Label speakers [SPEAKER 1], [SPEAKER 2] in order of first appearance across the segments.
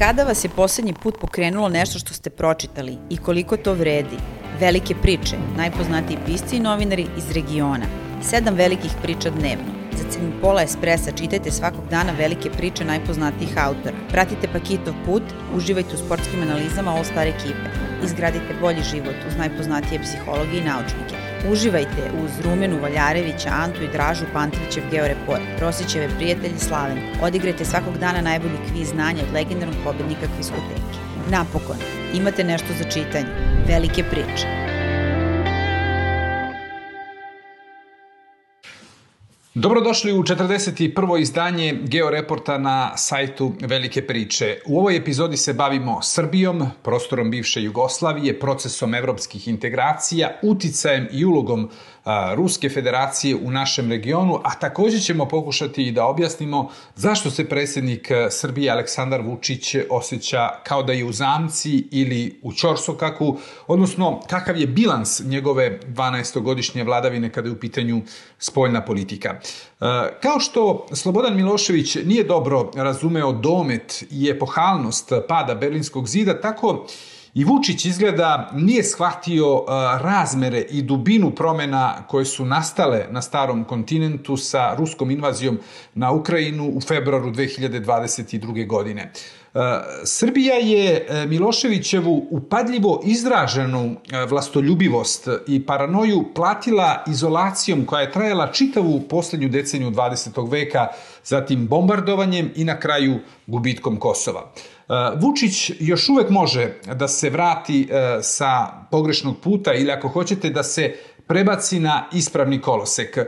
[SPEAKER 1] Kada vas je poslednji put pokrenulo nešto što ste pročitali i koliko to vredi? Velike priče, najpoznatiji pisci i novinari iz regiona. 7 velikih priča dnevno. Za cenu pola espresa čitajte svakog dana velike priče najpoznatijih autora. Pratite Pakitov put, uživajte u sportskim analizama All Star ekipe. Izgradite bolji život uz najpoznatije psihologe i naučnike. Uživajte uz Rumenu Valjarevića, Antu i Dražu Pantrićev Georeport, Rosićeve prijatelji Slavenku. Odigrajte svakog dana najbolji kviz znanja od legendarnog pobednika Kviskoteke. Napokon, imate nešto za čitanje. Velike priče.
[SPEAKER 2] Dobrodošli u 41. izdanje Georeporta na sajtu Velike priče. U ovoj epizodi se bavimo Srbijom, prostorom bivše Jugoslavije, procesom evropskih integracija, uticajem i ulogom Ruske federacije u našem regionu, a također ćemo pokušati i da objasnimo zašto se predsjednik Srbije Aleksandar Vučić osjeća kao da je u zamci ili u ćorsokaku, odnosno kakav je bilans njegove 12-godišnje vladavine kada je u pitanju spoljna politika. Kao što Slobodan Milošević nije dobro razumeo domet i epohalnost pada Berlinskog zida, tako i Vučić izgleda nije shvatio razmere i dubinu promjena koje su nastale na starom kontinentu sa ruskom invazijom na Ukrajinu u februaru 2022. godine. Srbija je Miloševićevu upadljivo izraženu vlastoljubivost i paranoju platila izolacijom koja je trajala čitavu posljednju deceniju 20. veka, zatim bombardovanjem i na kraju gubitkom Kosova. Vučić još uvek može da se vrati sa pogrešnog puta ili ako hoćete da se prebaci na ispravni kolosek.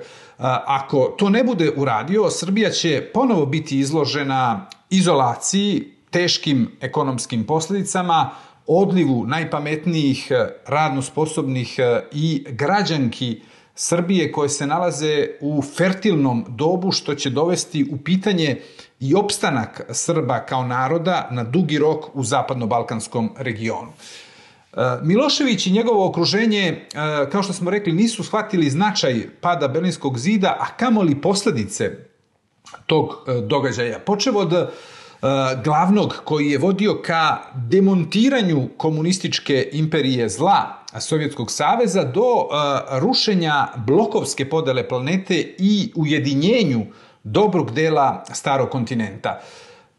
[SPEAKER 2] Ako to ne bude uradio, Srbija će ponovo biti izložena izolaciji, teškim ekonomskim posljedicama, odlivu najpametnijih, radno sposobnih i građanki Srbije koje se nalaze u fertilnom dobu, što će dovesti u pitanje i opstanak Srba kao naroda na dugi rok u zapadno-balkanskom regionu. Milošević i njegovo okruženje, kao što smo rekli, nisu shvatili značaj pada Berlinskog zida, a kamoli posljedice tog događaja. Počev od glavnog koji je vodio ka demontiranju komunističke imperije zla Sovjetskog saveza do rušenja blokovske podele planete i ujedinjenju dobrog dela starog kontinenta.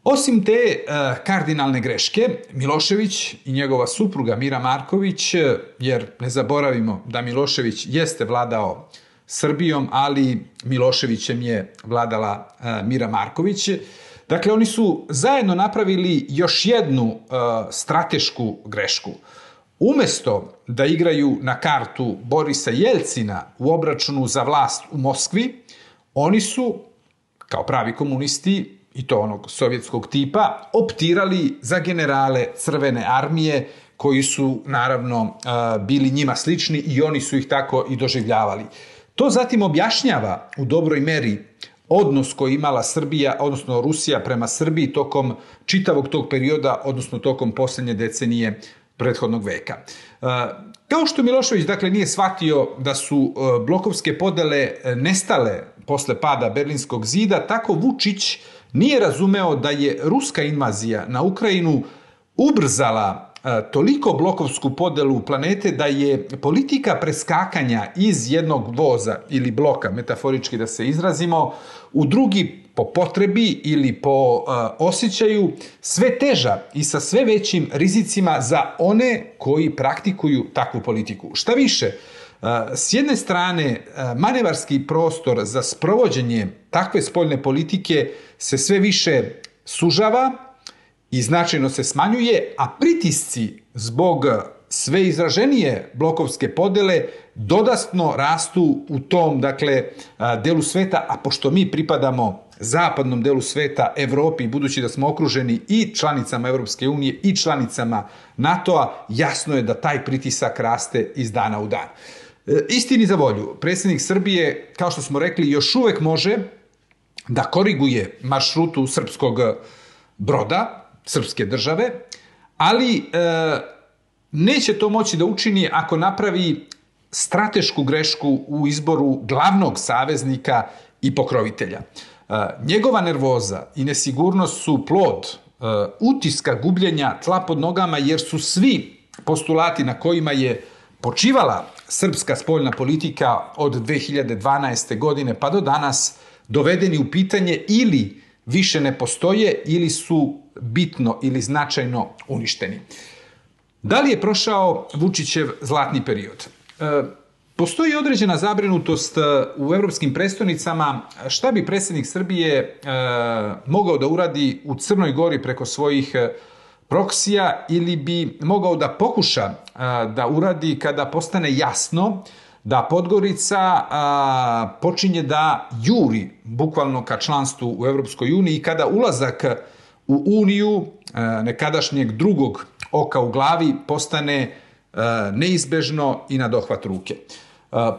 [SPEAKER 2] Osim te kardinalne greške, Milošević i njegova supruga Mira Marković, jer ne zaboravimo da Milošević jeste vladao Srbijom, ali Miloševićem je vladala Mira Marković. Dakle, oni su zajedno napravili još jednu stratešku grešku. Umesto da igraju na kartu Borisa Jelcina u obračunu za vlast u Moskvi, oni su, kao pravi komunisti, i to onog sovjetskog tipa, optirali za generale Crvene armije, koji su naravno bili njima slični i oni su ih tako i doživljavali. To zatim objašnjava u dobroj meri odnos koji imala Srbija, odnosno Rusija prema Srbiji tokom čitavog tog perioda, odnosno tokom posljednje decenije prethodnog veka. Kao što Milošević dakle nije shvatio da su blokovske podele nestale posle pada Berlinskog zida, tako Vučić nije razumeo da je ruska invazija na Ukrajinu ubrzala toliko blokovsku podelu planete da je politika preskakanja iz jednog voza ili bloka, metaforički da se izrazimo, u drugi po potrebi ili po osjećaju sve teža i sa sve većim rizicima za one koji praktikuju takvu politiku. Šta više, s jedne strane, manevarski prostor za sprovođenje takve spoljne politike se sve više sužava i značajno se smanjuje, a pritisci zbog sve izraženije blokovske podele dodatno rastu u tom delu sveta, a pošto mi pripadamo zapadnom delu sveta, Evropi, budući da smo okruženi i članicama Evropske unije i članicama NATO-a, jasno je da taj pritisak raste iz dana u dan. Istini za volju, predsjednik Srbije, kao što smo rekli, još uvek može da koriguje maršrutu srpskog broda, srpske države, ali neće to moći da učini ako napravi stratešku grešku u izboru glavnog saveznika i pokrovitelja. Njegova nervoza i nesigurnost su plod utiska gubljenja tla pod nogama, jer su svi postulati na kojima je počivala srpska spoljna politika od 2012. godine pa do danas dovedeni u pitanje ili više ne postoje ili su bitno ili značajno uništeni. Da li je prošao Vučićev zlatni period? Postoji određena zabrinutost u evropskim prestonicama šta bi predsjednik Srbije mogao da uradi u Crnoj Gori preko svojih proksija ili bi mogao da pokuša da uradi kada postane jasno da Podgorica počinje da juri bukvalno ka članstvu u Evropskoj uniji i kada ulazak u Uniju nekadašnjeg drugog oka u glavi postane neizbežno i na dohvat ruke.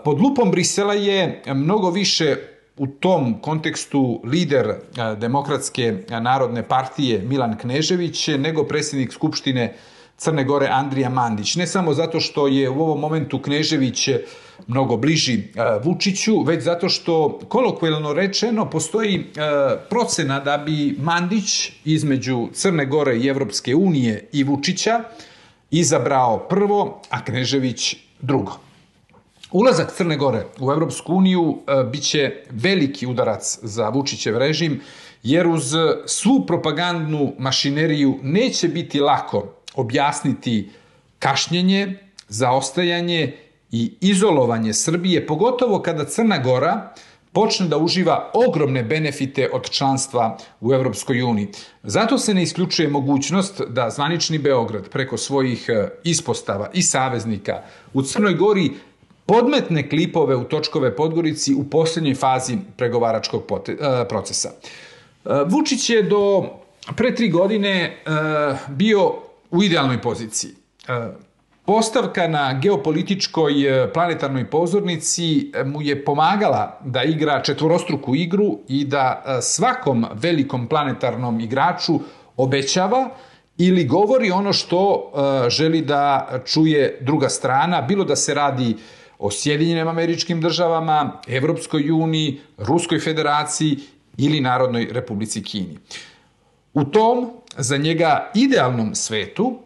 [SPEAKER 2] Pod lupom Brisela je mnogo više u tom kontekstu lider Demokratske narodne partije Milan Knežević nego predsjednik Skupštine Crne Gore Andrija Mandić. Ne samo zato što je u ovom momentu Knežević mnogo bliži Vučiću, već zato što, kolokvijalno rečeno, postoji procena da bi Mandić između Crne Gore i Evropske unije i Vučića izabrao prvo, a Knežević drugo. Ulazak Crne Gore u Evropsku uniju biće veliki udarac za Vučićev režim, jer uz svu propagandnu mašineriju neće biti lako objasniti kašnjenje, zaostajanje i izolovanje Srbije, pogotovo kada Crna Gora počne da uživa ogromne benefite od članstva u Evropskoj uniji. Zato se ne isključuje mogućnost da zvanični Beograd preko svojih ispostava i saveznika u Crnoj Gori podmetne klipove u točkove Podgorici u posljednjoj fazi pregovaračkog procesa. Vučić je do pre 3 godine bio u idealnoj poziciji. Postavka na geopolitičkoj planetarnoj pozornici mu je pomagala da igra četvorostruku igru i da svakom velikom planetarnom igraču obećava ili govori ono što želi da čuje druga strana, bilo da se radi o Sjedinjenim Američkim Državama, Evropskoj uniji, Ruskoj federaciji ili Narodnoj Republici Kini. U tom, za njega idealnom svetu,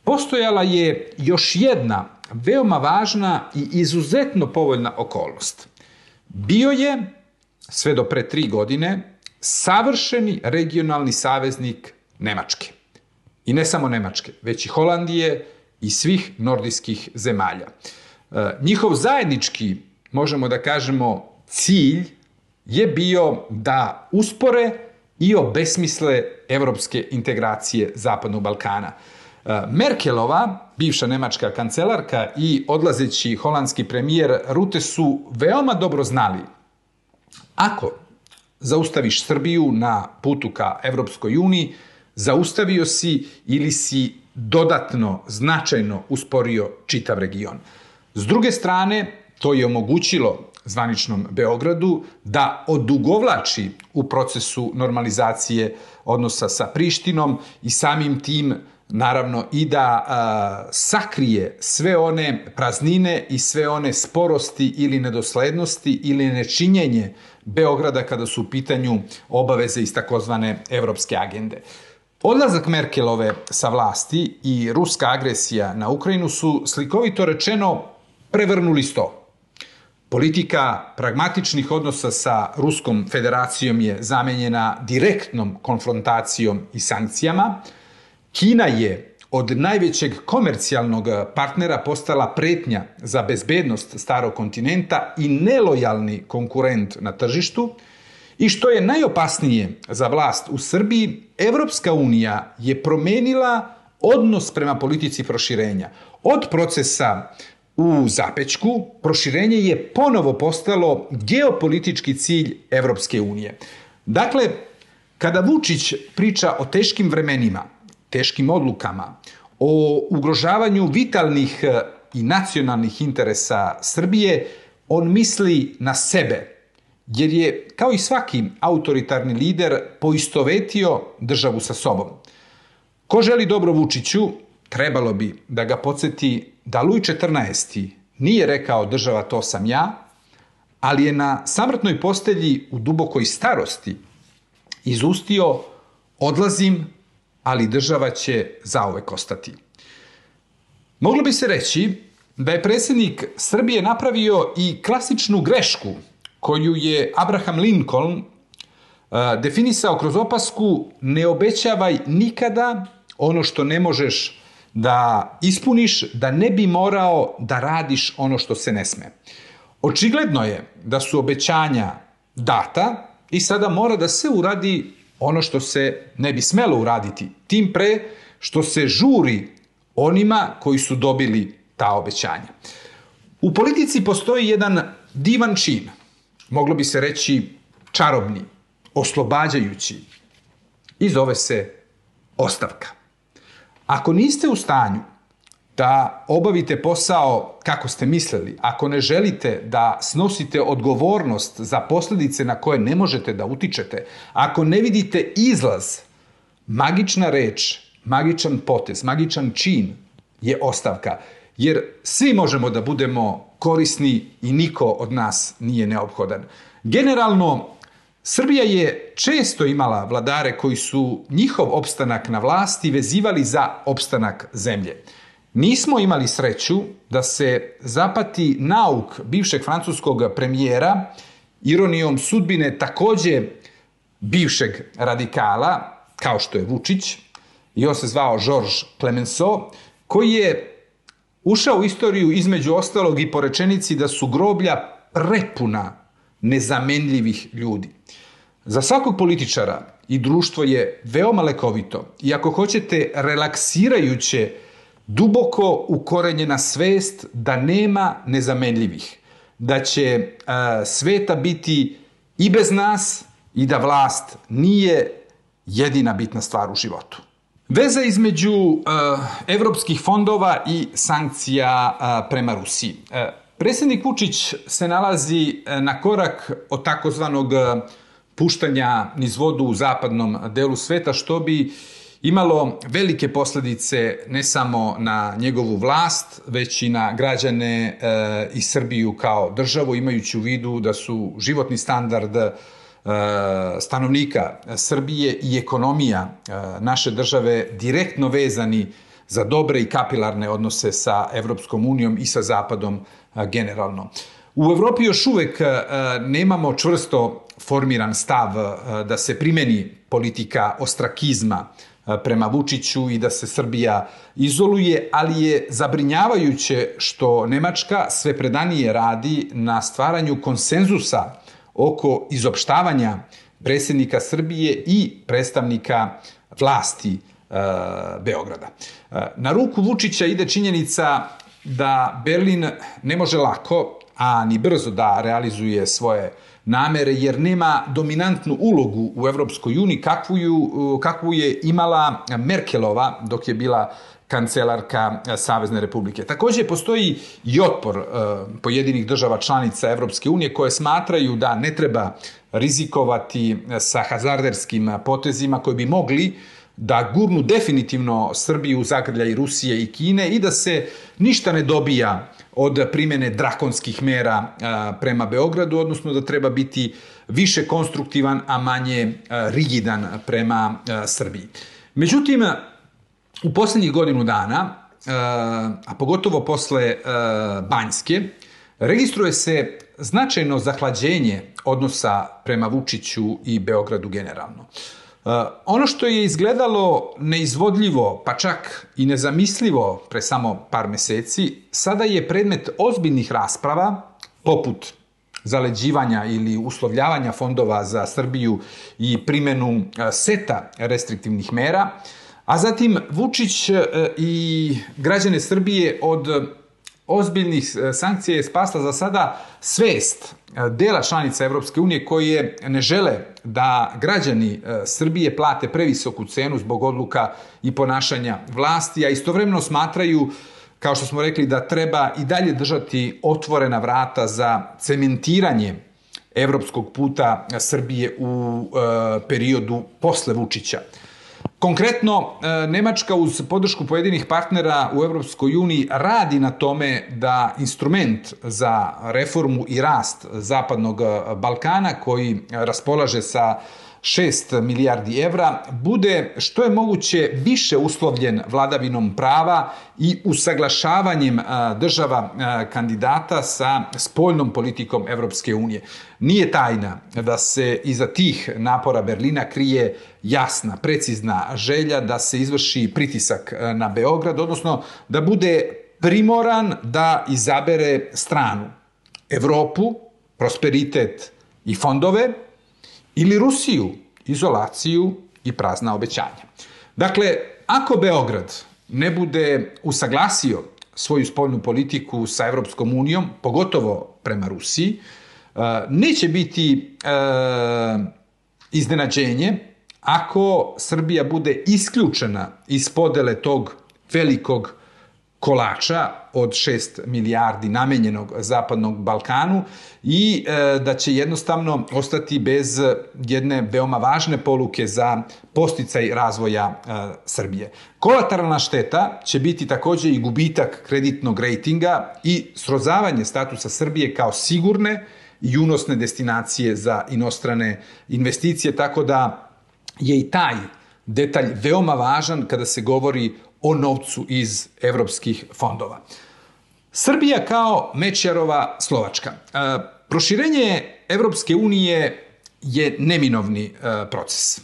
[SPEAKER 2] postojala je još jedna veoma važna i izuzetno povoljna okolnost. Bio je, sve do pre 3 godine, savršeni regionalni saveznik Nemačke. I ne samo Nemačke, već i Holandije i svih nordijskih zemalja. Njihov zajednički, možemo da kažemo, cilj je bio da uspore i obesmisle evropske integracije Zapadnog Balkana. Merkelova, bivša nemačka kancelarka i odlazeći holandski premijer Rutte su veoma dobro znali ako zaustaviš Srbiju na putu ka Evropskoj uniji, zaustavio si ili si dodatno, značajno usporio čitav region. S druge strane, to je omogućilo zvaničnom Beogradu da odugovlači u procesu normalizacije odnosa sa Prištinom i samim tim naravno i da sakrije sve one praznine i sve one sporosti ili nedoslednosti ili nečinjenje Beograda kada su u pitanju obaveze iz takozvane evropske agende. Odlazak Merkelove sa vlasti i ruska agresija na Ukrajinu su, slikovito rečeno, prevrnuli sto. Politika pragmatičnih odnosa sa Ruskom federacijom je zamenjena direktnom konfrontacijom i sankcijama. Kina je od najvećeg komercijalnog partnera postala pretnja za bezbednost starog kontinenta i nelojalni konkurent na tržištu. I što je najopasnije za vlast u Srbiji, Evropska unija je promenila odnos prema politici proširenja. Od procesa u zapećku, proširenje je ponovo postalo geopolitički cilj Evropske unije. Dakle, kada Vučić priča o teškim vremenima, teškim odlukama, o ugrožavanju vitalnih i nacionalnih interesa Srbije, on misli na sebe, jer je, kao i svaki autoritarni lider, poistovetio državu sa sobom. Ko želi dobro Vučiću, trebalo bi da ga podsjeti da Luj XIV nije rekao država to sam ja, ali je na samrtnoj postelji u dubokoj starosti izustio odlazim, ali država će zauvek ostati. Moglo bi se reći da je predsjednik Srbije napravio i klasičnu grešku koju je Abraham Lincoln definisao kroz opasku: ne obećavaj nikada ono što ne možeš da ispuniš, da ne bi morao da radiš ono što se ne sme. Očigledno je da su obećanja data i sada mora da se uradi ono što se ne bi smelo uraditi, tim pre što se žuri onima koji su dobili ta obećanja. U politici postoji jedan divan čin, moglo bi se reći čarobni, oslobađajući, i zove se ostavka. Ako niste u stanju da obavite posao kako ste mislili, ako ne želite da snosite odgovornost za posljedice na koje ne možete da utičete, ako ne vidite izlaz, magična reč, magičan potez, magičan čin je ostavka. Jer svi možemo da budemo korisni i niko od nas nije neophodan. Generalno, Srbija je često imala vladare koji su njihov opstanak na vlasti vezivali za opstanak zemlje. Nismo imali sreću da se zapati nauk bivšeg francuskog premijera, ironijom sudbine takođe bivšeg radikala, kao što je Vučić, i on se zvao Georges Clemenceau, koji je ušao u istoriju između ostalog i po rečenici da su groblja prepuna nezamenljivih ljudi. Za svakog političara i društvo je veoma lekovito i ako hoćete relaksirajuće, duboko ukorenjena svest da nema nezamenljivih, da će sveta biti i bez nas i da vlast nije jedina bitna stvar u životu. Veza između evropskih fondova i sankcija prema Rusiji. Predsjednik Vučić se nalazi na korak od takozvanog puštanja niz vodu u zapadnom delu sveta, što bi imalo velike posljedice ne samo na njegovu vlast, već i na građane i Srbiju kao državu, imajući u vidu da su životni standard stanovnika Srbije i ekonomija naše države direktno vezani za dobre i kapilarne odnose sa Evropskom unijom i sa Zapadom generalno. U Evropi još uvek nemamo čvrsto formiran stav da se primeni politika ostrakizma prema Vučiću i da se Srbija izoluje, ali je zabrinjavajuće što Nemačka sve predanije radi na stvaranju konsenzusa oko izopštavanja predsjednika Srbije i predstavnika vlasti Beograda. Na ruku Vučića ide činjenica da Berlin ne može lako, a ni brzo da realizuje svoje namere, jer nema dominantnu ulogu u Evropskoj uniji kakvu je imala Merkelova dok je bila kancelarka Savezne Republike. Takođe, postoji i otpor pojedinih država članica Evropske unije koje smatraju da ne treba rizikovati sa hazarderskim potezima koji bi mogli da gurnu definitivno Srbiju u zagrljaj Rusije i Kine i da se ništa ne dobija od primjene drakonskih mera prema Beogradu, odnosno da treba biti više konstruktivan, a manje rigidan prema Srbiji. Međutim, u posljednjih godinu dana, a pogotovo posle Banjske, registruje se značajno zahlađenje odnosa prema Vučiću i Beogradu generalno. Ono što je izgledalo neizvodljivo, pa čak i nezamislivo pre samo par meseci, sada je predmet ozbiljnih rasprava, poput zaleđivanja ili uslovljavanja fondova za Srbiju i primjenu seta restriktivnih mera, a zatim Vučić i građane Srbije od ozbiljnih sankcija je spasla za sada svest dela članica Evropske unije koje ne žele da građani Srbije plate previsoku cenu zbog odluka i ponašanja vlasti, a istovremeno smatraju, kao što smo rekli, da treba i dalje držati otvorena vrata za cementiranje evropskog puta Srbije u periodu posle Vučića. Konkretno, Nemačka uz podršku pojedinih partnera u Evropskoj uniji radi na tome da instrument za reformu i rast Zapadnog Balkana, koji raspolaže sa 6 milijardi evra, bude što je moguće više uslovljen vladavinom prava i usaglašavanjem država kandidata sa spoljnom politikom Evropske unije. Nije tajna da se iza tih napora Berlina krije jasna, precizna želja da se izvrši pritisak na Beograd, odnosno da bude primoran da izabere stranu, Evropu, prosperitet i fondove, ili Rusiju, izolaciju i prazna obećanja. Dakle, ako Beograd ne bude usaglasio svoju spoljnu politiku sa Evropskom unijom, pogotovo prema Rusiji, neće biti iznenađenje ako Srbija bude isključena iz podele tog velikog kolača od 6 milijardi namenjenog Zapadnog Balkanu i da će jednostavno ostati bez jedne veoma važne poluke za podsticaj razvoja Srbije. Kolateralna šteta će biti takođe i gubitak kreditnog rejtinga i srozavanje statusa Srbije kao sigurne i unosne destinacije za inostrane investicije, tako da je i taj detalj veoma važan kada se govori o novcu iz evropskih fondova. Srbija kao Mečiarova Slovačka. Proširenje Evropske unije je neminovni proces,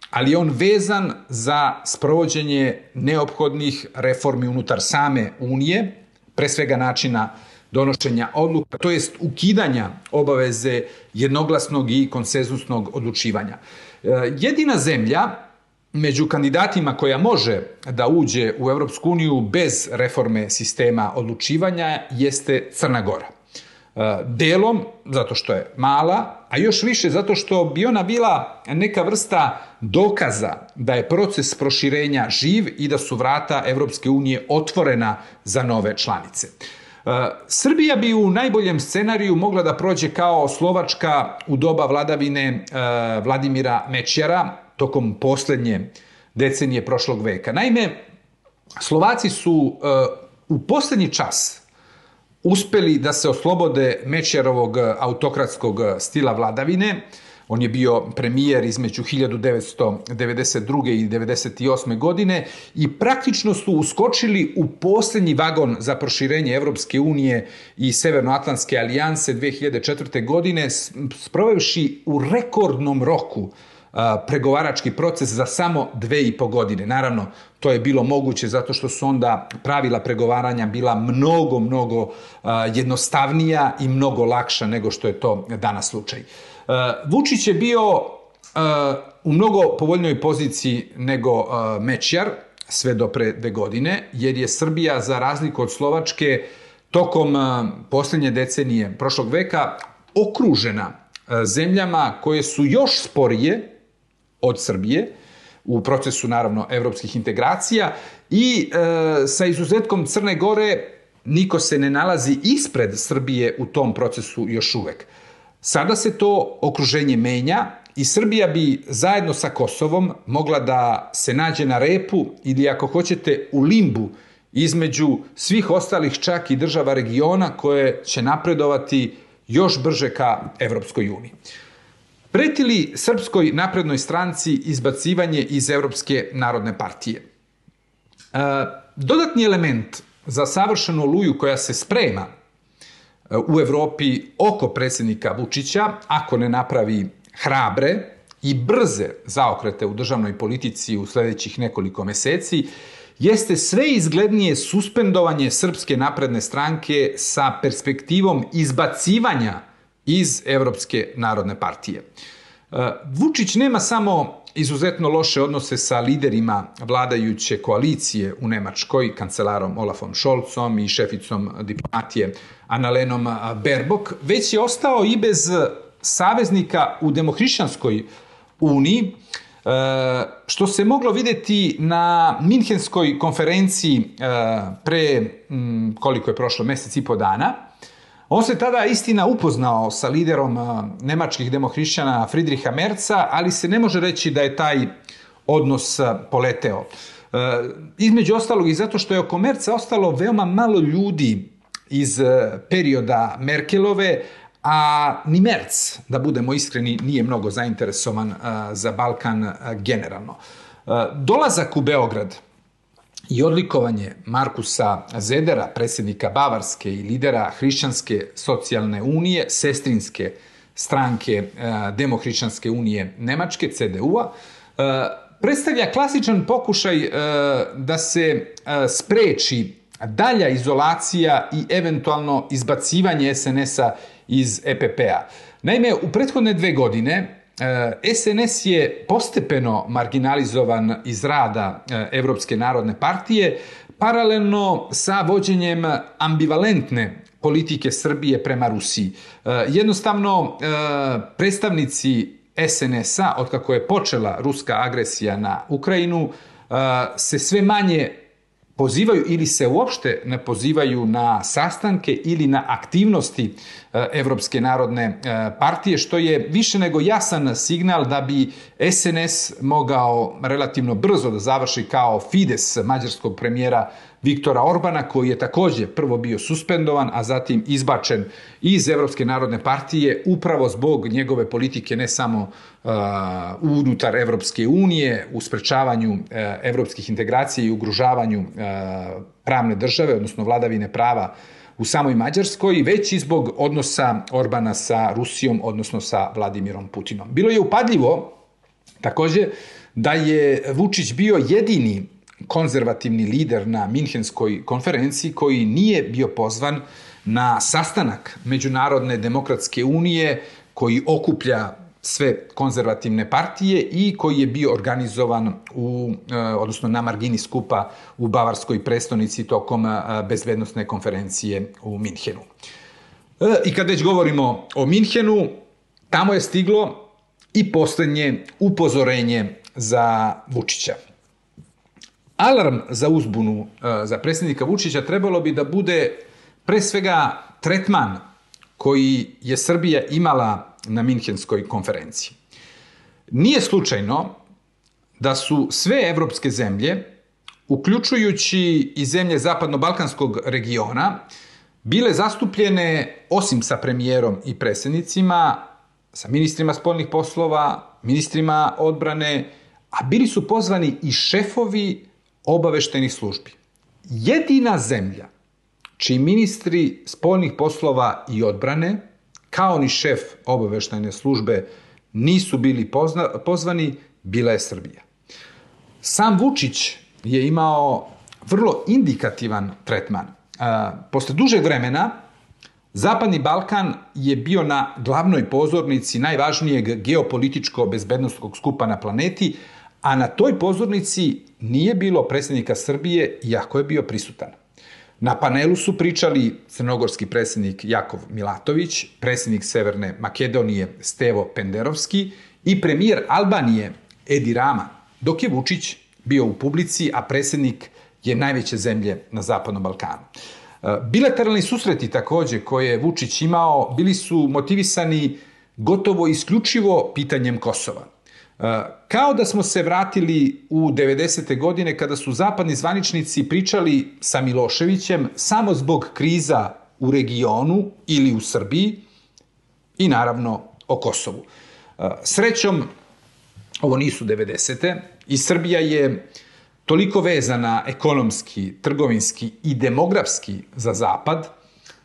[SPEAKER 2] ali je on vezan za sprovođenje neophodnih reformi unutar same Unije, pre svega načina donošenja odluka, to jest ukidanja obaveze jednoglasnog i konsenzusnog odlučivanja. Jedina zemlja među kandidatima koja može da uđe u Evropsku uniju bez reforme sistema odlučivanja jeste Crna Gora. Delom zato što je mala, a još više zato što bi ona bila neka vrsta dokaza da je proces proširenja živ i da su vrata Evropske unije otvorena za nove članice. Srbija bi u najboljem scenariju mogla da prođe kao Slovačka u doba vladavine Vladimira Mečiara, tokom poslednje decenije prošlog veka. Naime, Slovaci su u poslednji čas uspeli da se oslobode Mečiarovog autokratskog stila vladavine. On je bio premijer između 1992. i 1998. godine i praktično su uskočili u poslednji vagon za proširenje Evropske unije i Severnoatlantske alijanse 2004. godine, sprovevši u rekordnom roku pregovarački proces za samo 2,5 godine. Naravno, to je bilo moguće zato što su onda pravila pregovaranja bila mnogo jednostavnija i mnogo lakša nego što je to danas slučaj. Vučić je bio u mnogo povoljnijoj poziciji nego Mečiar sve do pre 2 godine, jer je Srbija, za razliku od Slovačke, tokom poslednje decenije prošlog veka okružena zemljama koje su još sporije od Srbije u procesu, naravno, evropskih integracija i sa izuzetkom Crne Gore niko se ne nalazi ispred Srbije u tom procesu još uvek. Sada se to okruženje menja i Srbija bi zajedno sa Kosovom mogla da se nađe na repu ili, ako hoćete, u limbu između svih ostalih čak i država regiona koje će napredovati još brže ka Evropskoj uniji. Preti li Srpskoj naprednoj stranci izbacivanje iz Evropske narodne partije? Dodatni element za savršenu oluju koja se sprema u Evropi oko predsjednika Vučića, ako ne napravi hrabre i brze zaokrete u državnoj politici u sledećih nekoliko meseci, jeste sve izglednije suspendovanje Srpske napredne stranke sa perspektivom izbacivanja iz Evropske narodne partije. Vučić nema samo izuzetno loše odnose sa liderima vladajuće koalicije u Nemačkoj, kancelarom Olafom Scholzom i šeficom diplomatije Annalenom Baerbock, već je ostao i bez saveznika u Demohrišćanskoj uniji, što se moglo videti na Minhenskoj konferenciji pre, koliko je prošlo, mesec i po dana. On se tada, istina, upoznao sa liderom nemačkih demohrišćana Friedricha Merza, ali se ne može reći da je taj odnos poleteo. Između ostalog i zato što je oko Merza ostalo veoma malo ljudi iz perioda Merkelove, a ni Merz, da budemo iskreni, nije mnogo zainteresovan za Balkan generalno. Dolazak u Beograd i odlikovanje Markusa Zedera, predsjednika Bavarske i lidera Hrišćanske socijalne unije, sestrinske stranke Demohrišćanske unije Nemačke, CDU-a, predstavlja klasičan pokušaj da se spreči dalja izolacija i eventualno izbacivanje SNS-a iz EPP-a. Naime, u prethodne 2 godine SNS je postepeno marginalizovan iz rada Evropske narodne partije, paralelno sa vođenjem ambivalentne politike Srbije prema Rusiji. Jednostavno, predstavnici SNS-a, otkako je počela ruska agresija na Ukrajinu, se sve manje pozivaju ili se uopšte ne pozivaju na sastanke ili na aktivnosti Evropske narodne partije, što je više nego jasan signal da bi SNS mogao relativno brzo da završi kao Fides mađarskog premijera Viktora Orbana, koji je također prvo bio suspendovan, a zatim izbačen iz Evropske narodne partije upravo zbog njegove politike ne samo unutar Evropske unije, u sprečavanju evropskih integracija i ugrožavanju pravne države, odnosno vladavine prava u samoj Mađarskoj, već i zbog odnosa Orbana sa Rusijom, odnosno sa Vladimirom Putinom. Bilo je upadljivo također da je Vučić bio jedini konzervativni lider na Minhenskoj konferenciji koji nije bio pozvan na sastanak Međunarodne demokratske unije koji okuplja sve konzervativne partije i koji je bio organizovan odnosno na margini skupa u Bavarskoj prestonici tokom bezbednosne konferencije u Minhenu. I kad već govorimo o Minhenu, tamo je stiglo i posljednje upozorenje za Vučića. Alarm za uzbunu za predsjednika Vučića trebalo bi da bude pre svega tretman koji je Srbija imala na Minhenskoj konferenciji. Nije slučajno da su sve evropske zemlje, uključujući i zemlje zapadno-balkanskog regiona, bile zastupljene, osim sa premijerom i predsjednicima, sa ministrima spoljnih poslova, ministrima odbrane, a bili su pozvani i šefovi obaveštajnih službi. Jedina zemlja čiji ministri spoljnih poslova i odbrane, kao ni šef obaveštajne službe, nisu bili pozvani, bila je Srbija. Sam Vučić je imao vrlo indikativan tretman. Posle dužeg vremena, Zapadni Balkan je bio na glavnoj pozornici najvažnijeg geopolitičko-bezbednostnog skupa na planeti, a na toj pozornici nije bilo predsjednika Srbije, iako je bio prisutan. Na panelu su pričali crnogorski predsjednik Jakov Milatović, predsjednik Severne Makedonije Stevo Penderovski i premijer Albanije Edi Rama, dok je Vučić bio u publici, a predsjednik je najveće zemlje na Zapadnom Balkanu. Bilateralni susreti također koje je Vučić imao bili su motivisani gotovo isključivo pitanjem Kosova. Kao da smo se vratili u 90. godine kada su zapadni zvaničnici pričali sa Miloševićem samo zbog kriza u regionu ili u Srbiji i naravno o Kosovu. Srećom, ovo nisu 90. i Srbija je toliko vezana ekonomski, trgovinski i demografski za Zapad,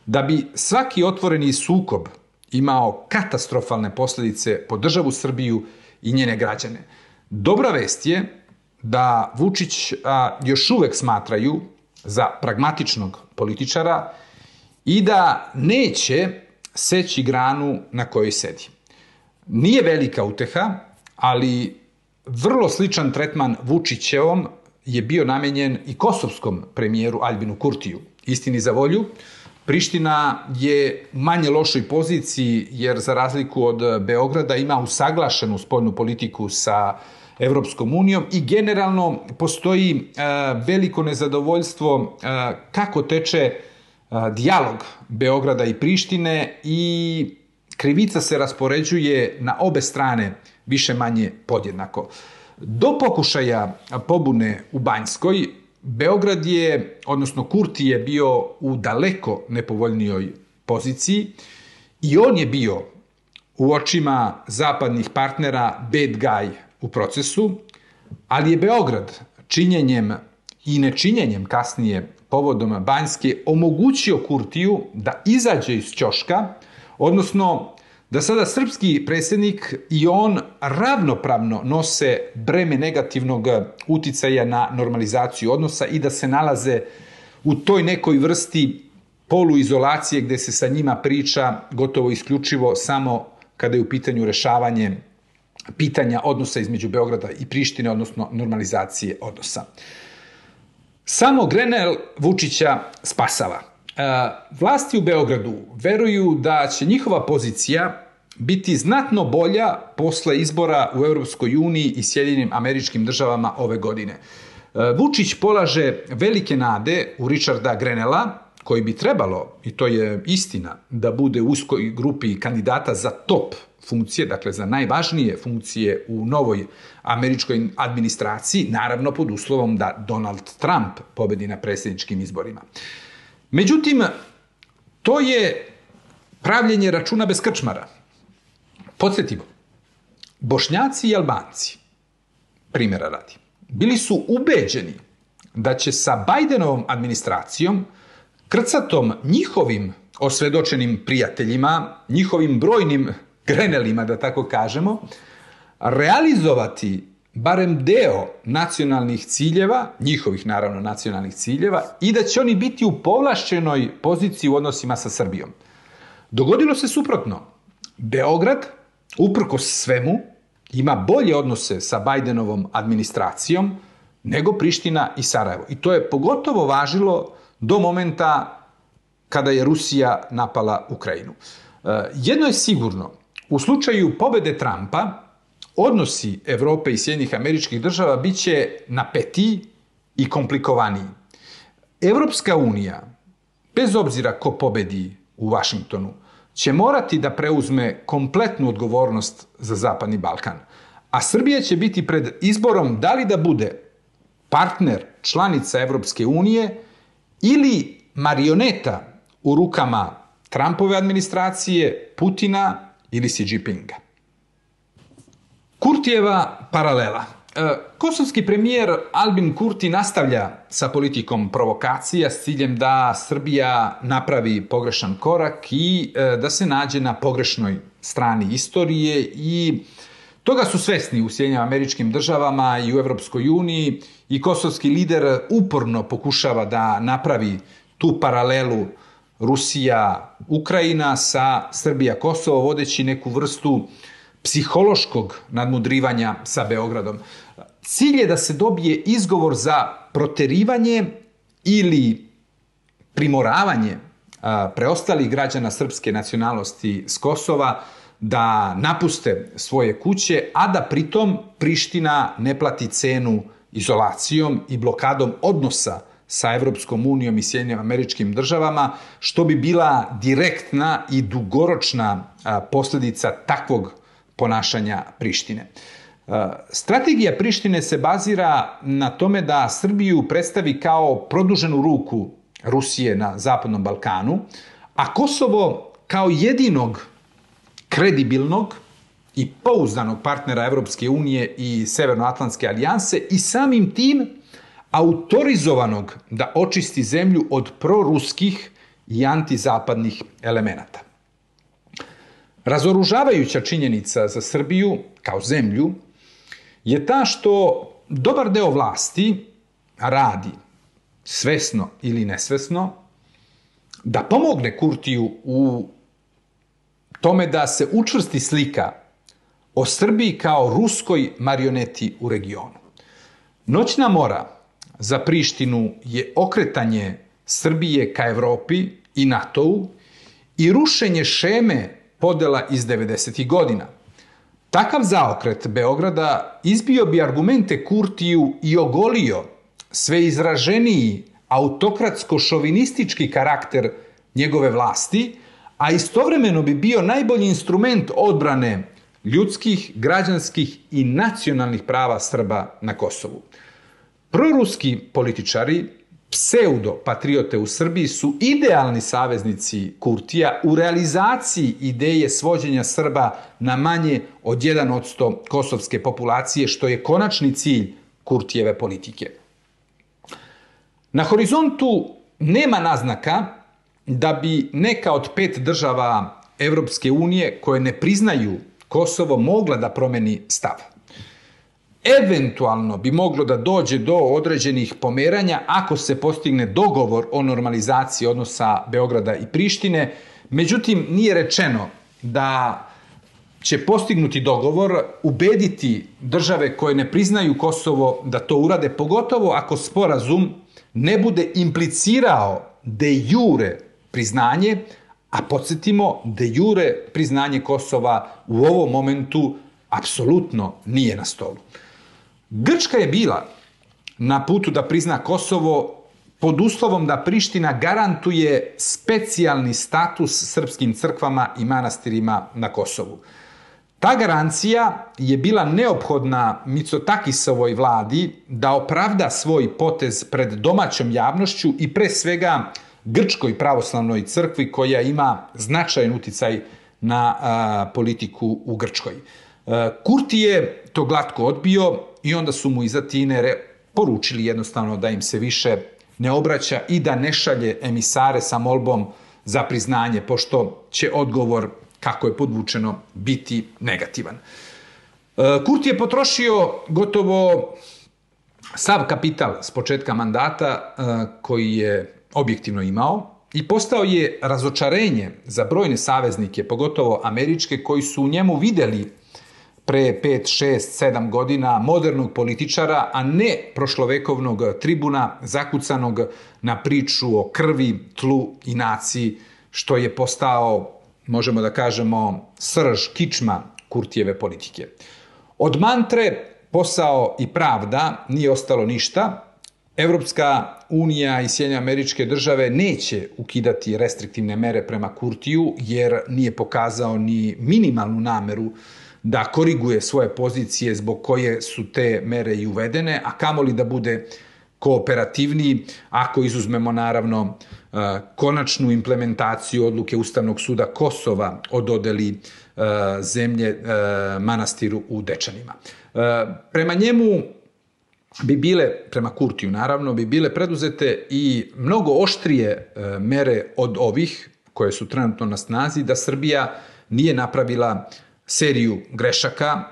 [SPEAKER 2] da bi svaki otvoreni sukob imao katastrofalne posljedice po državu Srbiju i njene građane. Dobra vest je da Vučić još uvek smatraju za pragmatičnog političara i da neće seći granu na kojoj sedi. Nije velika uteha, ali vrlo sličan tretman Vučićevom je bio namenjen i kosovskom premijeru Aljbinu Kurtiju. Istini za volju, Priština je u manje lošoj poziciji jer za razliku od Beograda ima usaglašenu spoljnu politiku sa Evropskom unijom i generalno postoji veliko nezadovoljstvo kako teče dijalog Beograda i Prištine i krivica se raspoređuje na obe strane više manje podjednako. Do pokušaja pobune u Banjskoj, Beograd je, odnosno Kurti je bio u daleko nepovoljnijoj poziciji I on je bio u očima zapadnih partnera bad guy u procesu, ali je Beograd činjenjem i nečinjenjem kasnije povodom Banjske omogućio Kurtiju da izađe iz ćoška, odnosno da sada srpski predsjednik i on ravnopravno nose breme negativnog uticaja na normalizaciju odnosa i da se nalaze u toj nekoj vrsti poluizolacije gde se sa njima priča gotovo isključivo samo kada je u pitanju rešavanje pitanja odnosa između Beograda i Prištine, odnosno normalizacije odnosa. Samo Grenell Vučića spasava. Vlasti u Beogradu veruju da će njihova pozicija biti znatno bolja posle izbora u Evropskoj uniji i Sjedinjenim Američkim Državama ove godine. Vučić polaže velike nade u Richarda Grenella, koji bi trebalo, i to je istina, da bude u uskoj grupi kandidata za top funkcije, dakle za najvažnije funkcije u novoj američkoj administraciji, naravno pod uslovom da Donald Trump pobedi na predsjedničkim izborima. Međutim, to je pravljenje računa bez krčmara. Podsjetimo, Bošnjaci i Albanci, primjera radi, bili su ubeđeni da će sa Bidenovom administracijom, krcatom njihovim osvedočenim prijateljima, njihovim brojnim Grenelima, da tako kažemo, realizovati barem deo nacionalnih ciljeva, njihovih naravno nacionalnih ciljeva, i da će oni biti u povlašćenoj poziciji u odnosima sa Srbijom. Dogodilo se suprotno. Beograd, uprkos svemu, ima bolje odnose sa Bidenovom administracijom nego Priština i Sarajevo. I to je pogotovo važilo do momenta kada je Rusija napala Ukrajinu. Jedno je sigurno, u slučaju pobede Trumpa, odnosi Evrope i Sjedinjenih Američkih Država bit će napetiji i komplikovaniji. Evropska unija, bez obzira ko pobedi u Vašingtonu, će morati da preuzme kompletnu odgovornost za Zapadni Balkan. A Srbija će biti pred izborom da li da bude partner, članica Evropske unije ili marioneta u rukama Trumpove administracije, Putina ili Xi Jinpinga. Kurtijeva paralela. Kosovski premijer Albin Kurti nastavlja sa politikom provokacija s ciljem da Srbija napravi pogrešan korak i da se nađe na pogrešnoj strani istorije, i toga su svesni u Sjedinjenim Američkim Državama i u Evropskoj uniji, i kosovski lider uporno pokušava da napravi tu paralelu Rusija-Ukrajina sa Srbija-Kosovo, vodeći neku vrstu psihološkog nadmudrivanja sa Beogradom. Cilj je da se dobije izgovor za proterivanje ili primoravanje preostalih građana srpske nacionalnosti s Kosova da napuste svoje kuće, a da pritom Priština ne plati cenu izolacijom i blokadom odnosa sa Evropskom unijom i Sjedinjenim Američkim Državama, što bi bila direktna i dugoročna posljedica takvog ponašanja Prištine. Strategija Prištine se bazira na tome da Srbiju predstavi kao produženu ruku Rusije na Zapadnom Balkanu, a Kosovo kao jedinog kredibilnog i pouzdanog partnera Evropske unije i Severnoatlantske alijanse, i samim tim autorizovanog da očisti zemlju od proruskih i antizapadnih elemenata. Razoružavajuća činjenica za Srbiju kao zemlju je ta što dobar deo vlasti radi, svesno ili nesvesno, da pomogne Kurtiju u tome da se učvrsti slika o Srbiji kao ruskoj marioneti u regionu. Noćna mora za Prištinu je okretanje Srbije ka Evropi i NATO-u i rušenje šeme podela iz 90. godina. Takav zaokret Beograda izbio bi argumente Kurtiju i ogolio sve izraženiji autokratsko-šovinistički karakter njegove vlasti, a istovremeno bi bio najbolji instrument odbrane ljudskih, građanskih i nacionalnih prava Srba na Kosovu. Proruski političari pseudo-patriote u Srbiji su idealni saveznici Kurtija u realizaciji ideje svođenja Srba na manje od 1% kosovske populacije, što je konačni cilj Kurtijeve politike. Na horizontu nema naznaka da bi neka od 5 država Evropske unije koje ne priznaju Kosovo mogla da promeni stav. Eventualno bi moglo da dođe do određenih pomeranja ako se postigne dogovor o normalizaciji odnosa Beograda i Prištine, međutim nije rečeno da će postignuti dogovor ubediti države koje ne priznaju Kosovo da to urade, pogotovo ako sporazum ne bude implicirao de jure priznanje, a podsjetimo, de jure priznanje Kosova u ovom momentu apsolutno nije na stolu. Grčka je bila na putu da prizna Kosovo pod uslovom da Priština garantuje specijalni status srpskim crkvama i manastirima na Kosovu. Ta garancija je bila neophodna Mitsotakisovoj vladi da opravda svoj potez pred domaćom javnošću i pre svega Grčkoj pravoslavnoj crkvi koja ima značajan uticaj na politiku u Grčkoj. Kurti je to glatko odbio i onda su mu iz Atine poručili jednostavno da im se više ne obraća i da ne šalje emisare sa molbom za priznanje, pošto će odgovor, kako je podvučeno, biti negativan. Kurti je potrošio gotovo sav kapital s početka mandata koji je objektivno imao i postao je razočarenje za brojne saveznike, pogotovo američke, koji su u njemu videli pre 5, 6, 7 godina modernog političara, a ne prošlovekovnog tribuna zakucanog na priču o krvi, tlu i naciji, što je postao, možemo da kažemo, srž, kičma Kurtijeve politike. Od mantre posao i pravda nije ostalo ništa. Evropska unija i Sjedinjene Američke Države neće ukidati restriktivne mere prema Kurtiju, jer nije pokazao ni minimalnu nameru da koriguje svoje pozicije zbog koje su te mere i uvedene, a kamoli da bude kooperativniji ako izuzmemo naravno konačnu implementaciju odluke Ustavnog suda Kosova o dodeli zemlje manastiru u Dečanima. Prema njemu bi bile, prema Kurtiju naravno, bi bile preduzete i mnogo oštrije mere od ovih koje su trenutno na snazi, da Srbija nije napravila seriju grešaka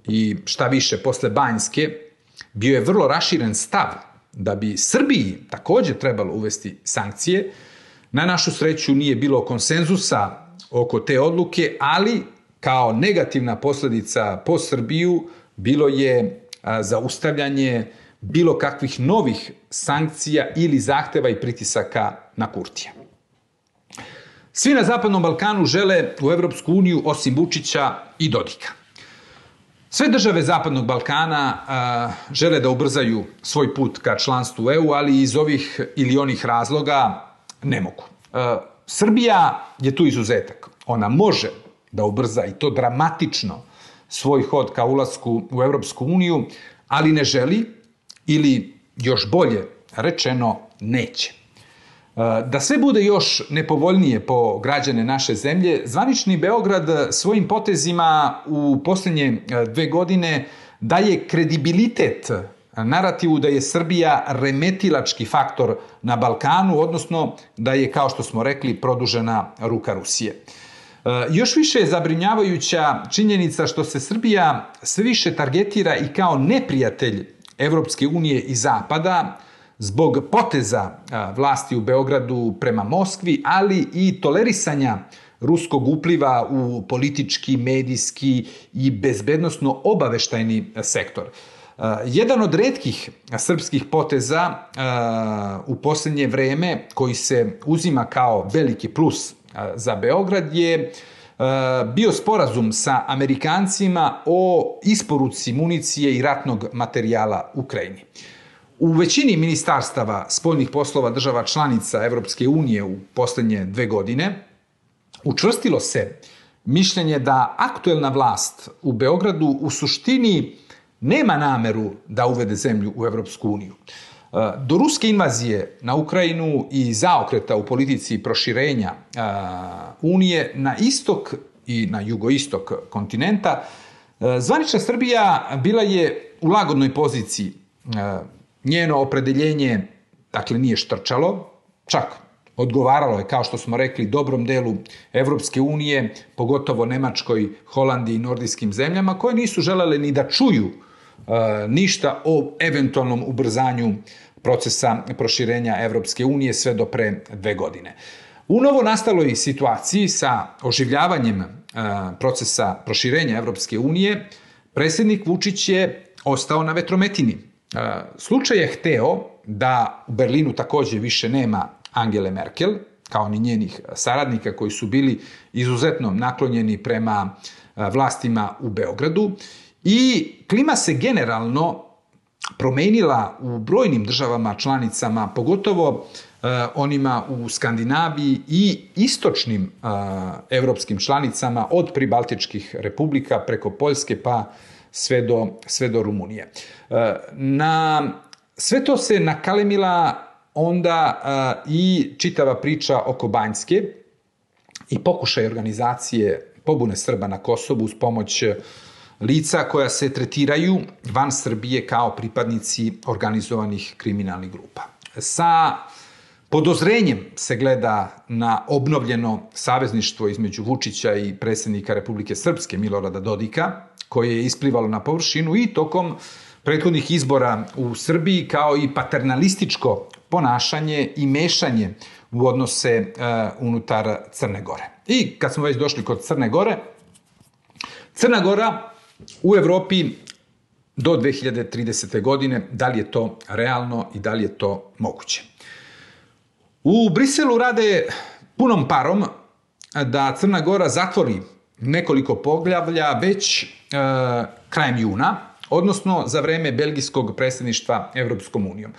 [SPEAKER 2] i šta više, posle Banjske bio je vrlo raširen stav da bi Srbiji takođe trebalo uvesti sankcije. Na našu sreću nije bilo konsenzusa oko te odluke, ali kao negativna posledica po Srbiju bilo je zaustavljanje bilo kakvih novih sankcija ili zahteva i pritisaka na Kurtija. Svi na Zapadnom Balkanu žele u Evropsku uniju osim Vučića i Dodika. Sve države Zapadnog Balkana žele da ubrzaju svoj put ka članstvu u EU, ali iz ovih ili onih razloga ne mogu. Srbija je tu izuzetak. Ona može da ubrza i to dramatično svoj hod ka ulasku u Evropsku uniju, ali ne želi ili još bolje rečeno neće. Da sve bude još nepovoljnije po građane naše zemlje, zvanični Beograd svojim potezima u posljednje 2 godine daje kredibilitet narativu da je Srbija remetilački faktor na Balkanu, odnosno da je, kao što smo rekli, produžena ruka Rusije. Još više je zabrinjavajuća činjenica što se Srbija sve više targetira i kao neprijatelj Evropske unije i Zapada zbog poteza vlasti u Beogradu prema Moskvi, ali i tolerisanja ruskog upliva u politički, medijski i bezbednosno obaveštajni sektor. Jedan od retkih srpskih poteza u posljednje vreme koji se uzima kao veliki plus za Beograd je bio sporazum sa Amerikancima o isporuci municije i ratnog materijala Ukrajini. U većini ministarstava spoljnih poslova država članica Evropske unije u posljednje 2 godine učvrstilo se mišljenje da aktuelna vlast u Beogradu u suštini nema nameru da uvede zemlju u Evropsku uniju. Do ruske invazije na Ukrajinu i zaokreta u politici proširenja Unije na istok i na jugoistok kontinenta, zvanična Srbija bila je u lagodnoj poziciji. Njeno opredeljenje, dakle, nije štrčalo, čak odgovaralo je, kao što smo rekli, dobrom delu Evropske unije, pogotovo Nemačkoj, Holandiji i nordijskim zemljama, koje nisu želele ni da čuju ništa o eventualnom ubrzanju procesa proširenja Evropske unije sve do pre 2 godine. U novo nastaloj situaciji sa oživljavanjem procesa proširenja Evropske unije, predsjednik Vučić je ostao na vetrometini. Slučaj je hteo da u Berlinu takođe više nema Angele Merkel, kao ni njenih saradnika koji su bili izuzetno naklonjeni prema vlastima u Beogradu, i klima se generalno promenila u brojnim državama članicama, pogotovo onima u Skandinaviji i istočnim evropskim članicama, od pribaltičkih republika preko Poljske pa sve do Rumunije. Na sve to se nakalemila onda i čitava priča oko Banjske i pokušaj organizacije pobune Srba na Kosovu uz pomoć lica koja se tretiraju van Srbije kao pripadnici organizovanih kriminalnih grupa. Sa podozrenjem se gleda na obnovljeno savezništvo između Vučića i predsjednika Republike Srpske Milorada Dodika, koje je isplivalo na površinu i tokom prethodnih izbora u Srbiji, kao i paternalističko ponašanje i mešanje u odnose unutar Crne Gore. I kad smo već došli kod Crne Gore, Crna Gora u Evropi do 2030. godine, da li je to realno i da li je to moguće? U Briselu rade punom parom da Crna Gora zatvori nekoliko poglavlja već krajem juna, odnosno za vreme belgijskog predsjedništva Evropskom unijom.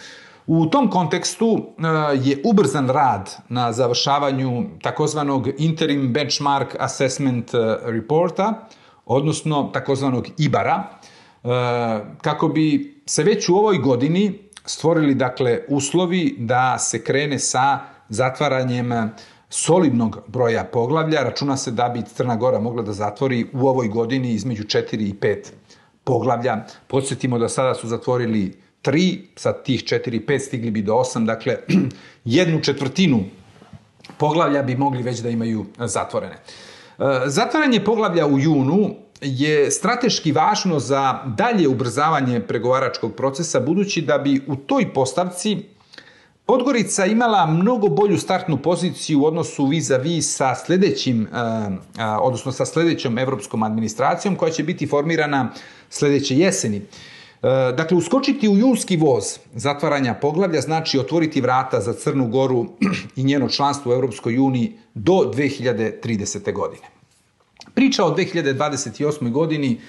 [SPEAKER 2] U tom kontekstu je ubrzan rad na završavanju takozvanog Interim Benchmark Assessment Reporta, odnosno takozvanog IBAR-a, kako bi se već u ovoj godini stvorili, dakle, uslovi da se krene sa zatvaranjem solidnog broja poglavlja. Računa se da bi Crna Gora mogla da zatvori u ovoj godini između 4 i 5 poglavlja. Podsjetimo da sada su zatvorili 3, sa tih 4 i 5 stigli bi do 8, dakle 1/4 poglavlja bi mogli već da imaju zatvorene. Zatvaranje poglavlja u junu je strateški važno za dalje ubrzavanje pregovaračkog procesa, budući da bi u toj postavci Podgorica imala mnogo bolju startnu poziciju u odnosu vis-a-vis sa sledećom evropskom administracijom koja će biti formirana sledeće jeseni. Dakle, uskočiti u junski voz zatvaranja poglavlja znači otvoriti vrata za Crnu Goru i njeno članstvo u Evropskoj uniji do 2030. godine. Priča o 2028. godini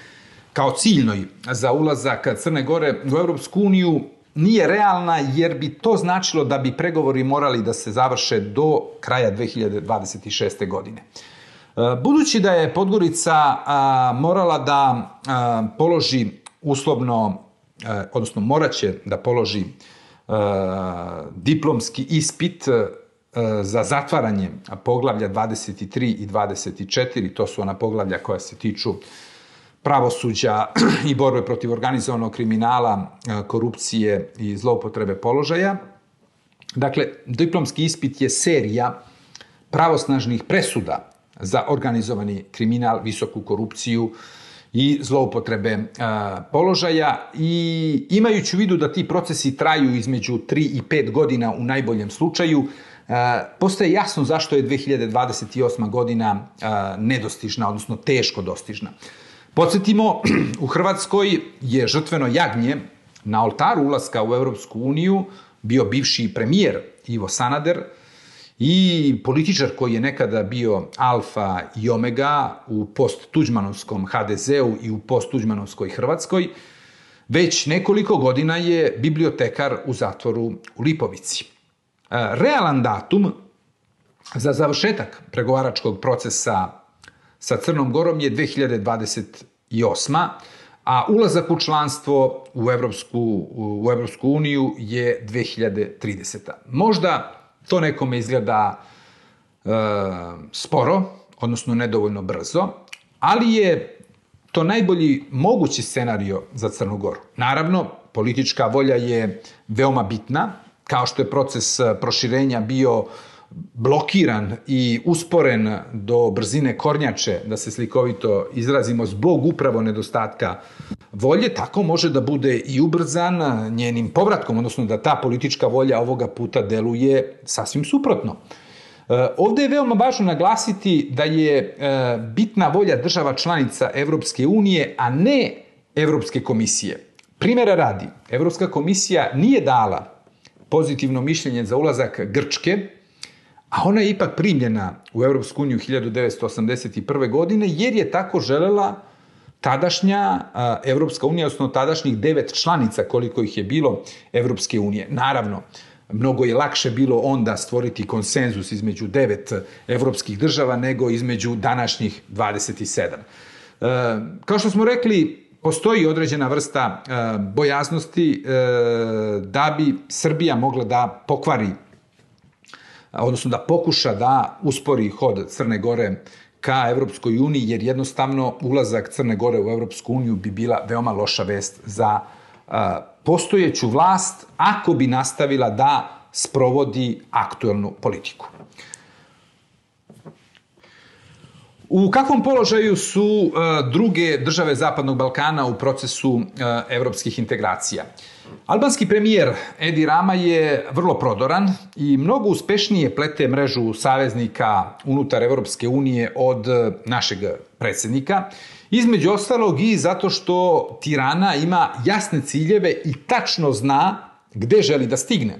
[SPEAKER 2] kao ciljnoj za ulazak Crne Gore u Evropsku uniju nije realna, jer bi to značilo da bi pregovori morali da se završe do kraja 2026. godine. Budući da je Podgorica morala da položi uslovno, odnosno moraće da položi diplomski ispit za zatvaranje poglavlja 23 i 24, to su ona poglavlja koja se tiču pravosuđa i borbe protiv organizovanog kriminala, korupcije i zloupotrebe položaja. Dakle, diplomski ispit je serija pravosnažnih presuda za organizovani kriminal, visoku korupciju i zloupotrebe položaja, i imajući u vidu da ti procesi traju između 3 i 5 godina u najboljem slučaju, postaje jasno zašto je 2028. godina nedostižna, odnosno teško dostižna. Podsjetimo, u Hrvatskoj je žrtveno jagnje na oltaru ulaska u Evropsku uniju bio bivši premijer Ivo Sanader i političar koji je nekada bio alfa i omega u post-tuđmanovskom HDZ-u i u post-tuđmanovskoj Hrvatskoj. Već nekoliko godina je bibliotekar u zatvoru u Lipovici. Realan datum za završetak pregovaračkog procesa sa Crnom Gorom je 2028. a ulazak u članstvo u Evropsku uniju je 2030. Možda to nekome izgleda sporo, odnosno nedovoljno brzo, ali je to najbolji mogući scenario za Crnu Goru. Naravno, politička volja je veoma bitna, kao što je proces proširenja bio blokiran i usporen do brzine kornjače, da se slikovito izrazimo, zbog upravo nedostatka volje, tako može da bude i ubrzan njenim povratkom, odnosno da ta politička volja ovoga puta deluje sasvim suprotno. Ovde je veoma važno naglasiti da je bitna volja država članica Evropske unije, a ne Evropske komisije. Primera radi, Evropska komisija nije dala pozitivno mišljenje za ulazak Grčke, a ona je ipak primljena u Evropsku uniju 1981. godine, jer je tako želela tadašnja Evropska unija, odnosno tadašnjih 9 članica, koliko ih je bilo Evropske unije. Naravno, mnogo je lakše bilo onda stvoriti konsenzus između 9 evropskih država nego između današnjih 27. Kao što smo rekli, postoji određena vrsta bojaznosti da bi Srbija mogla da pokvari, odnosno da pokuša da uspori hod Crne Gore ka Evropskoj uniji, jer jednostavno ulazak Crne Gore u Evropsku uniju bi bila veoma loša vest za postojeću vlast ako bi nastavila da sprovodi aktuelnu politiku. U kakvom položaju su druge države Zapadnog Balkana u procesu evropskih integracija? Albanski premijer Edi Rama je vrlo prodoran i mnogo uspešnije plete mrežu saveznika unutar Evropske unije od našeg predsjednika. Između ostalog i zato što Tirana ima jasne ciljeve i tačno zna gde želi da stigne.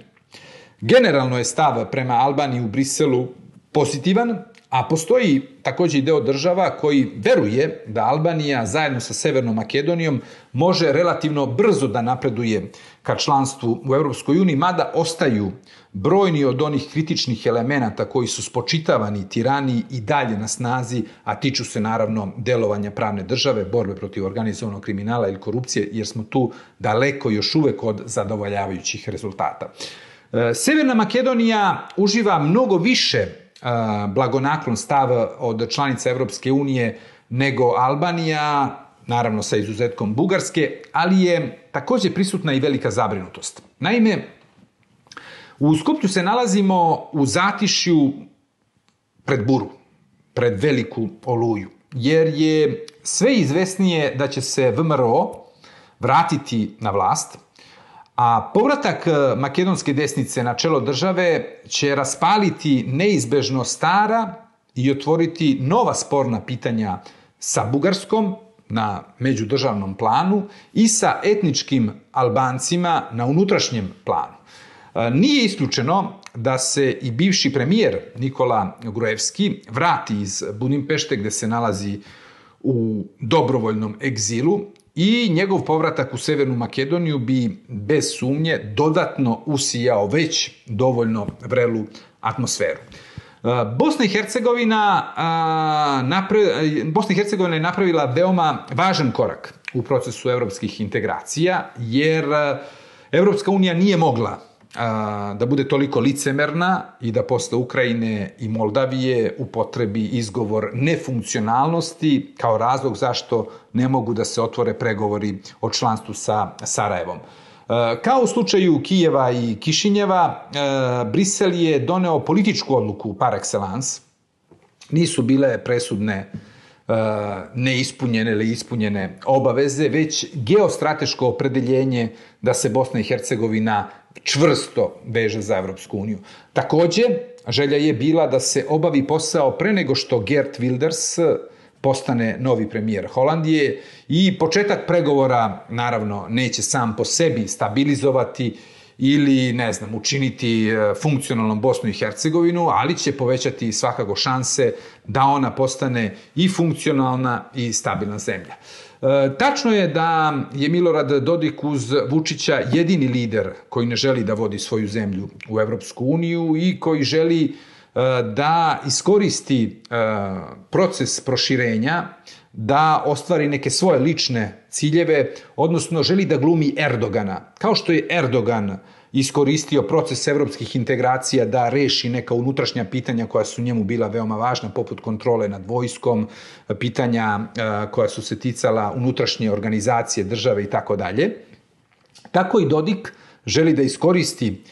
[SPEAKER 2] Generalno je stav prema Albaniji u Briselu pozitivan, a postoji također i deo država koji veruje da Albanija zajedno sa Severnom Makedonijom može relativno brzo da napreduje ka članstvu u Evropskoj uniji, mada ostaju brojni od onih kritičnih elemenata koji su spočitavani Tirani i dalje na snazi, a tiču se naravno delovanja pravne države, borbe protiv organizovanog kriminala ili korupcije, jer smo tu daleko još uvek od zadovoljavajućih rezultata. Severna Makedonija uživa mnogo više blagonaklon stav od članica Evropske unije nego Albanija, naravno sa izuzetkom Bugarske, ali je također prisutna i velika zabrinutost. Naime, u Skoplju se nalazimo u zatišju pred buru, pred veliku oluju, jer je sve izvesnije da će se VMRO vratiti na vlast, a povratak makedonske desnice na čelo države će raspaliti neizbežno stara i otvoriti nova sporna pitanja sa Bugarskom na međudržavnom planu i sa etničkim Albancima na unutrašnjem planu. Nije isključeno da se i bivši premijer Nikola Gruevski vrati iz Budimpešte, gde se nalazi u dobrovoljnom egzilu, i njegov povratak u Severnu Makedoniju bi bez sumnje dodatno usijao već dovoljno vrelu atmosferu. Bosna i Hercegovina je napravila veoma važan korak u procesu evropskih integracija, jer Evropska unija nije mogla da bude toliko licemerna i da posle Ukrajine i Moldavije upotrebi izgovor nefunkcionalnosti kao razlog zašto ne mogu da se otvore pregovori o članstvu sa Sarajevom. Kao u slučaju Kijeva i Kišinjeva, Brisel je doneo političku odluku par excellence. Nisu bile presudne neispunjene ili ispunjene obaveze, već geostrateško opredeljenje da se Bosna i Hercegovina čvrsto veže za Evropsku uniju. Takođe, želja je bila da se obavi posao pre nego što Geert Wilders postane novi premijer Holandije i početak pregovora, naravno, neće sam po sebi stabilizovati ili, učiniti funkcionalnom Bosnu i Hercegovinu, ali će povećati svakako šanse da ona postane i funkcionalna i stabilna zemlja. Tačno je da je Milorad Dodik uz Vučića jedini lider koji ne želi da vodi svoju zemlju u Evropsku uniju i koji želi da iskoristi proces proširenja, da ostvari neke svoje lične ciljeve, odnosno želi da glumi Erdogana. Kao što je Erdogan iskoristio proces evropskih integracija da reši neka unutrašnja pitanja koja su njemu bila veoma važna, poput kontrole nad vojskom, pitanja koja su se ticala unutrašnje organizacije države i tako dalje. Tako i Dodik želi da iskoristi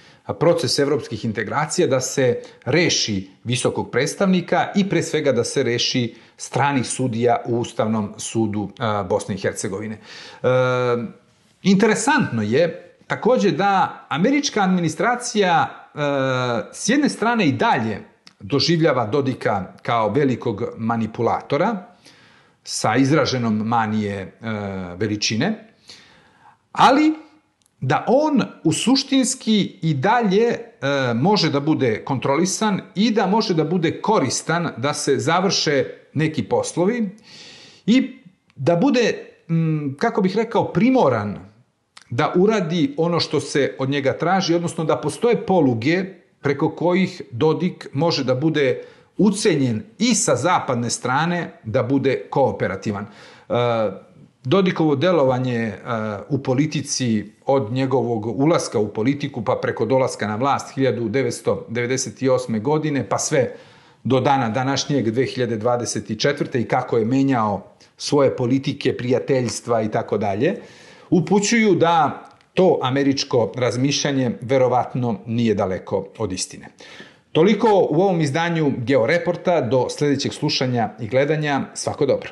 [SPEAKER 2] proces evropskih integracija da se reši visokog predstavnika i pre svega da se reši stranih sudija u Ustavnom sudu Bosne i Hercegovine. Interesantno je takođe da američka administracija s jedne strane i dalje doživljava Dodika kao velikog manipulatora sa izraženom manije veličine, ali da on u suštinski i dalje može da bude kontrolisan i da može da bude koristan da se završe neki poslovi i da bude, kako bih rekao, primoran da uradi ono što se od njega traži, odnosno da postoje poluge preko kojih Dodik može da bude ucenjen i sa zapadne strane da bude kooperativan. Dodikovo delovanje u politici od njegovog ulaska u politiku pa preko dolaska na vlast 1998. godine pa sve do dana današnjeg 2024. i kako je menjao svoje politike, prijateljstva i tako dalje, upućuju da to američko razmišljanje verovatno nije daleko od istine. Toliko u ovom izdanju Georeporta. Do sledećeg slušanja i gledanja. Svako dobro.